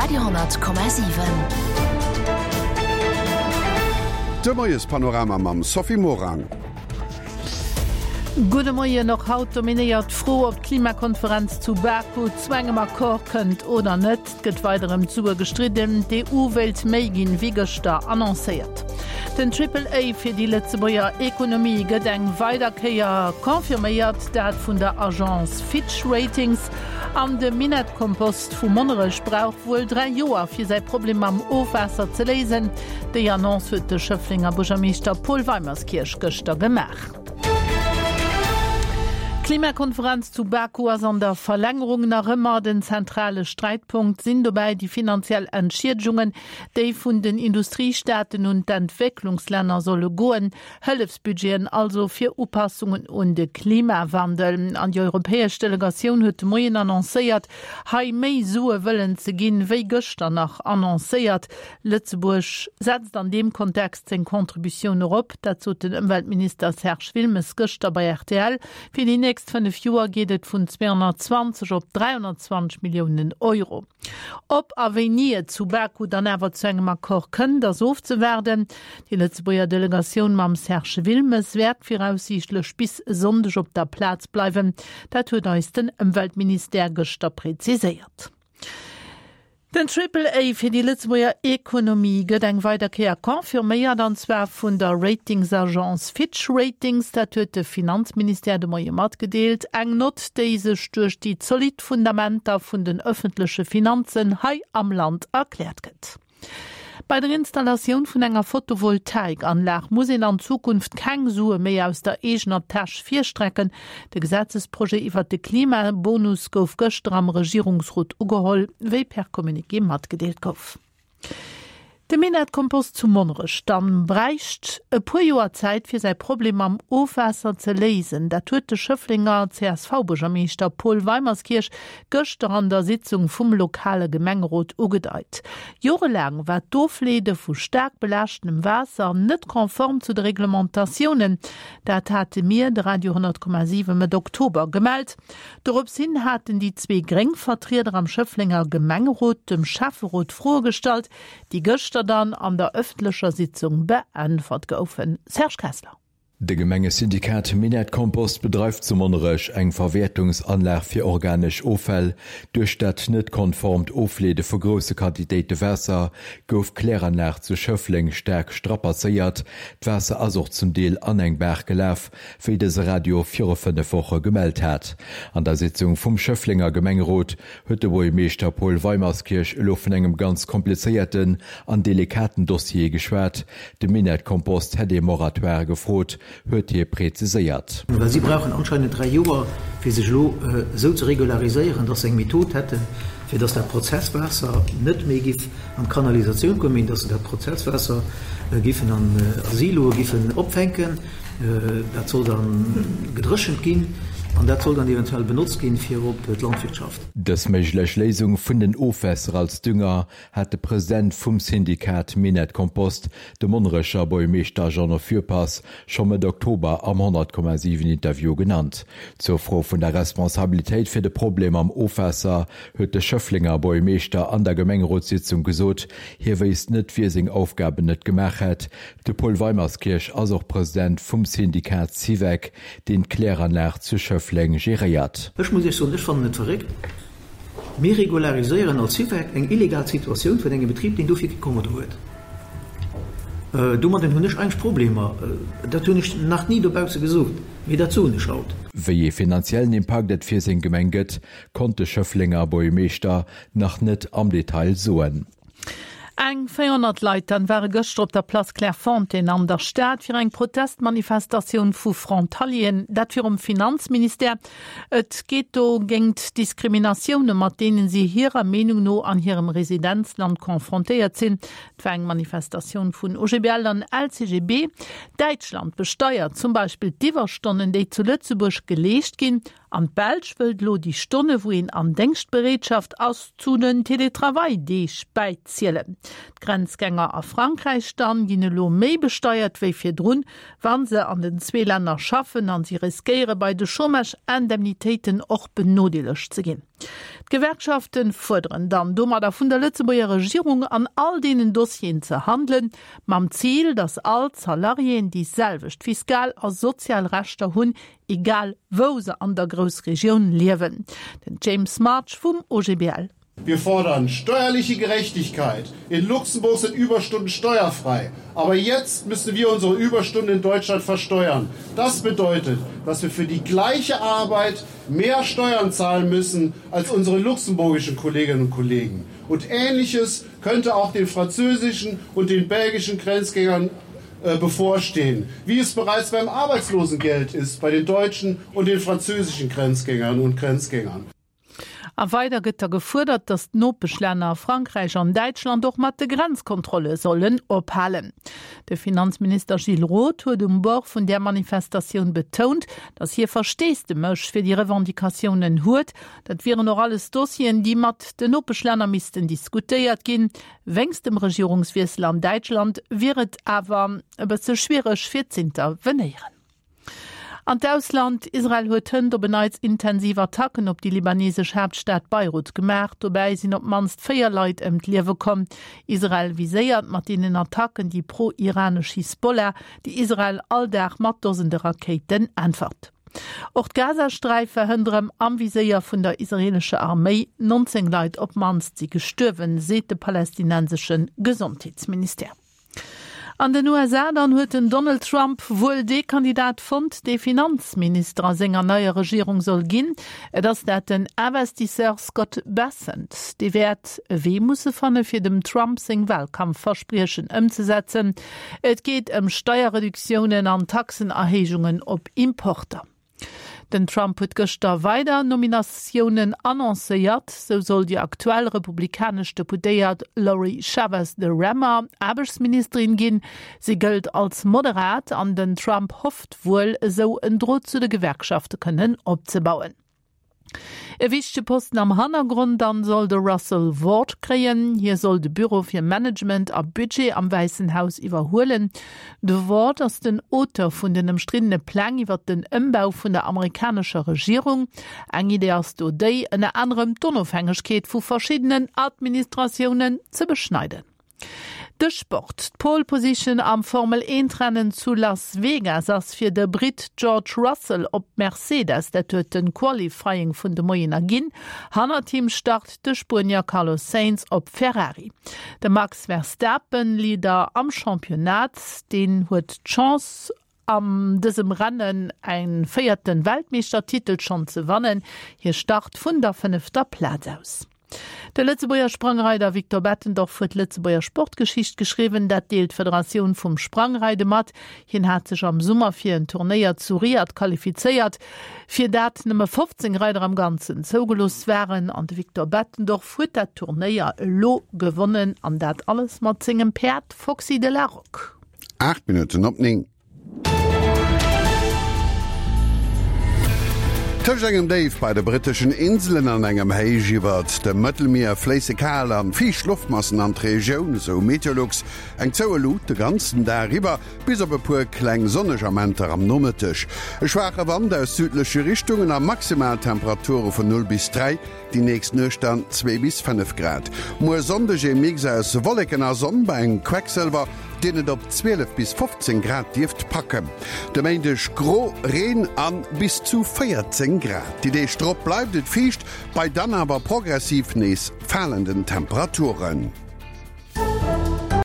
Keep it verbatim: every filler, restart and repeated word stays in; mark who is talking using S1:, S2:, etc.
S1: Radio honnert Komma siwen.
S2: De Moiespanorama mam Sophie Morang.
S3: Gudde Moien, Och haut dominéiert d'Fro, ob d'Klimakonferenz zu Baku zu engem Accord kënnt oder net. Et gëtt weider ëm d'Sue gestridden. D'EU wéilt méi ginn, wéi gëschter annoncéiert. Den Triple A fir déi Lëtzebuerger Ekonomie gëtt eng weider Kéier confirméiert, dat vun der Agence Fitch Ratings. An de Minettkompost vu Monnerech brauch wuel dräi Joer, fir säi Problem mam Ofwaasser ze léisen. Déi Annonce huet de Schëfflenger Buergermeeschter Paul Weimerskirch gëschter gemaach. D'Klimakonferenz zu Baku ass an der Verlängerung nach ëmmer den zentrale Sträitpunkt. Sinn dobäi déi finanziell Entschiedegungen, déi vun den Industriestaaten un d'Entwécklungslänner solle goen. Hëllefsbudgeten also fir Upassungen un de Klimawandel. An déi europäesch Delegatioun huet de Moien annoncéiert, hei méi Sue wëllen ze ginn, wéi gëschter nach annoncéiert. Lëtzebuerg setzt an deem Kontext seng Contributioun erop, dat sot den Ëmweltminister Serge Wilmes gëschter bei rtl. Fir déi nächst fënnef Joer geet et vun zweehonnertzwanzeg op dräihonnertzwanzeg Milliounen Euro. Ob a wéini et zu Baku dann awer zu engem Accord kënnt, ass ofzewaarden. Déi Lëtzebuerger Delegatioun mam Serge Wilmes wäert viraussiichtlech bis e Sonndeg op der Plaz bleiwen. Dat huet eis den Ëmweltministère gëschter präziséiert. Den Triple A fir déi Lëtzebuerger Ekonomie gëtt eng weider Kéier confirméiert, an zwar vun der Ratingsagence Fitch Ratings. Dat huet de Finanzministère de Moie matgedeelt. Eng Nott, déi sech duerch déi zolidd Fundamenter vun den ëffentleche Finanzen hei am Land erkläert gëtt. Bei der Installatioun vun enger Photovoltaikanlag muss een an Zukunft keng Sue méi aus der eegener Täsch virstrecken. De Gesetzesprojet iwwert de Klimabonus gouf gëschter am Regierungsrot ugeholl, wéi per Communiqué matgedeelt gouf. De Minett-Kompost zu Monnerech dann bräicht e puer Joer Zäit fir säi Problem mam Ofwaasser ze léisen. Dat huet de Schëfflenger C S V-Buergermeeschter Paul Weimerskirch gëschter an der Sitzung vum lokale Gemengerot ugedeit. Jorelaang war d'Ofleede vu staark belaaschtenem Waasser net konform zu de Reglementatiounen. Dat hate mir, de Radio honnert Komma siwen Mëtt Oktober gemellt. Dorops hin haten déi zwee gréng Vertrieder am Schëfflenger Gemengerot dem Schäfferot Froe gestallt, déi gëschter dann an der ëffentlecher Sitzung beäntwert goufen. Serge Kessler.
S4: De Gemengesyndikat Minett Kompost bedreift zu Monnerech eng Verwäertungsanlag fir organesch Offäll. Duerch dat net konformt Ofleede vu grousse Quantitéite Waasser gouf d'Kläranlag zu Schëffleng staark strapazéiert. D'Waasser ass och zum Deel an eng Baach gelaf, wéi dëse Radio viru fënnef Woche gemellt hat. An der Sitzung vum Schëfflenger Gemengerot huet de Buergermeeschter Paul Weimerskirch elo vun engem ganz komplizéierten an delikaten Dossier geschwat. De Minett-Kompost hätt ee Moratoire gefrot, huet hie preziséiert.
S5: Well si brauchen anscheinend dräi Joer, fir sech elo esou ze regulariséieren, dass se eng Method hätten, fir dass dat Prozesswaasser net méi giff an d'Kanalisatioun kommen, mee dass se dat Prozesswaasser giffen an Siloe giffen opfänken. Dat soll da gedréchent ginn an dat soll dann eventuell benotzt ginn fir op d'Landwirtschaft.
S4: Dës méiglech Léisung vun den Ofwässer als Dünger hat de President vum Syndikat Minett Kompost, de Monnerecher Buergermeeschter Jeannot Fürpass, scho Mëtt Oktober am honnert Komma siwen Interview genannt. Zur Fro vun der Responsabilitéit fir de Problem am Ofwaasser huet de Schëfflenger Buergermeeschter an der Gemengerotssitzung gesot, hie wéisst net, wie seng Aufgaben net gemaach hätt. De Paul Weimerskirch ass och President vum Syndikat Syvec, deen d'Kläranlag zu Schëffleng geréiert.
S5: Ech muss Iech soen, ech fannen et verréckt, mir regulariséieren als Syvec eng illegal Situatioun vun engem Betrib, deen dofir kee Kommodo huet. Domadden hunn ech eigentlech Problemer. Dat hunn ech nach ni dobausse gesot, mee dat soen ech haut.
S4: Wéi ee finanziellen Impakt et fir seng Gemeng gëtt, konnt de Schëfflenger Buergermeeschter nach net am Detail soen.
S3: Eng véierhonnert Leit dann ware gëschter op der Place Clairefontaine an der Stad fir eng Protestmanifestatioun vu Frontalieren, dat virum Finanzministère. Et geet do géint Diskriminatioune mat deenen si hirer Meenung no an hirem Residenzland confrontéiert sinn. Et war eng Manifestatioun vun O G B L an L C G B. Däitschland besteiert zum Beispill d'Iwwerstonnen, déi zu Lëtzebuerg geleescht ginn. An d'Belsch wëllt elo déi Stonne wou een an Déngschtbereetschaft ass zu den Teletravail-Deeg bäizielen. D'Grenzgänger a Frankräich dann ginn elo méi besteiert wéi virdrun, wa se an den zwee Länner schaffen an si riskéiere bei de Chômage-Indemnitéiten och benodeelegt ze ginn. D'Gewerkschafte fuerderen dann domadder vun der Lëtzebuerger Regierung an all deenen Dossieren ze handelen, mam Zil, datt all d'Salariéen déi selwecht fiskal a sozial Rechter hunn, egal wou se an der Groussregioun liewen. Den James March vum O G B L.
S1: Wir fordern steuerliche Gerechtigkeit. In Luxemburg sind Überstunden steuerfrei. Aber jetzt müssen wir unsere Überstunden in Deutschland versteuern. Das bedeutet, dass wir für die gleiche Arbeit mehr Steuern zahlen müssen als unsere luxemburgischen Kolleginnen und Kollegen. Und Ähnliches könnte auch den französischen und den belgischen Grenzgängern äh, bevorstehen, wie es bereits beim Arbeitslosengeld ist bei den deutschen und den französischen Grenzgängern und Grenzgängern.
S3: A weider gëtt da gefuerdert, datt d'Nopeschlänner Frankräich an Däitschland och mat de Grenzkontrolle sollen ophalen. De Finanzminister Gilles Roth huet um Bord vun der Manifestatioun betount, datt hie Versteesdemech fir déi Revendicatiounen huet, dat wieren och alles Dossieren, déi mat den Nopeschlänner missten diskutéiert ginn. Wéinst dem Regierungswiessel an Däitschland wier et awer e bësse schwiereg fir z'intervenéieren. An d'Ausland Israel huet hënt op en Neits intensiv Attacken op déi libanesesch Haaptstad Beirut gemaach. Dobäi sinn op d'mannst véier Leit ëm d'Liewe komm. Israel viséiert mat deenen Attacken déi pro-iranesch Hisbollah, déi Israel all Dag mat Dosende Rakéiten äntwert. Och d'Gazasträif war hënt erëm am Viséier vun der israelescher Arméi nonzéng Leit op d'mannst si gestuerwen, seet de palästinensesche Gesondheetsministère. An den U S A dann huet den Donald Trump wuel dee Kandidat fonnt, dee Finanzminister a senger neier Regierung soll ginn. Et ass dat den Investisseur Scott Bessent. Dee wäert e Wee musse fanne fir dem Trump seng Walkampfverspriechen ëmzesetzen. Et geet ëm Steierreduktiounen an Taxenerhéijungen op Importer. Den Trump huet gëschter weider Nominatiounen annoncéiert, sou soll déi aktuell republikanesch Deputéiert Lori Chavez de Remmer Aarbechtsministerin ginn. Si gëllt als moderat an den Trump hofft wuel esou en Drot zu de Gewerkschafte kënnen opzebauen. E wichtege Posten am Hannergrond dann soll de Russell Vought kréien. Hie soll de Büro fir Management a Budget am Wäissen Haus iwwerhuelen. De Vought ass den Auteur vun den ëmstriddene Pläng iwwer den Ëmbau vun der amerikanescher Regierung. Eng Idee ass do déi ënner anerem d'Onofhängegkeet vu verschiddenen Administratiounen ze beschneiden. De Sport. D'Pole Position am Formel eent Rennen zu Las Vegas ass fir de Brit George Russell op Mercedes, dat huet den Qualifying vun de Moien erginn. Hannert him start de Spuenier Carlos Sainz op Ferrari. De Max Verstappen, Leader am Championnat, deen huet d'Chance an dësem Rennen e véierte Weltmeeschtertitel schonn ze gewannen. Hie start vun der fënnefter Plaz aus. De Lëtzebuerger Sprangreider Victor Bettendorf huet Lëtzebuerger Sportgeschicht geschriwwen, dat deelt d'Federatioun vum Sprangreide mat. Hien hat sech am Summer fir en Turnéier zu Riad qualifizéiert, fir dat nëmme fofzéng Reider am Ganzen zougelooss waren an de Victor Bettendorf huet dat Turnéier elo gewonnen an dat alles mat sengem Päerd Foxy de la Roque.
S2: Aacht Minutten op néng. Tëscht engem Déif bei de britteschen Inselen an engem Héich iwwert dem Mëttelmier fléisse kal an fiicht Loftmassen an d'Regioun, sou Meteolux. Eng zoue Luut de ganzen Dag iwwer, bis op e puer kleng sonneg Amenter am Nomëtteg. E schwaache Wand aus südleche Richtungen a maximal Temperature vun null bis dräi, déi nächst Nuecht dann zwee bis fënnef Grad. Muer Sonndeg e Mix aus Wolleken a Sonn bei engem Quecksëlwer, deen et op zwielef bis fofzéng Grad dierft packen. De Méindeg gro, Reen a bis zu véierzéng Grad. Déi Deeg drop bleift et fiicht, bei dann awer progressiv nees falenden Temperaturen.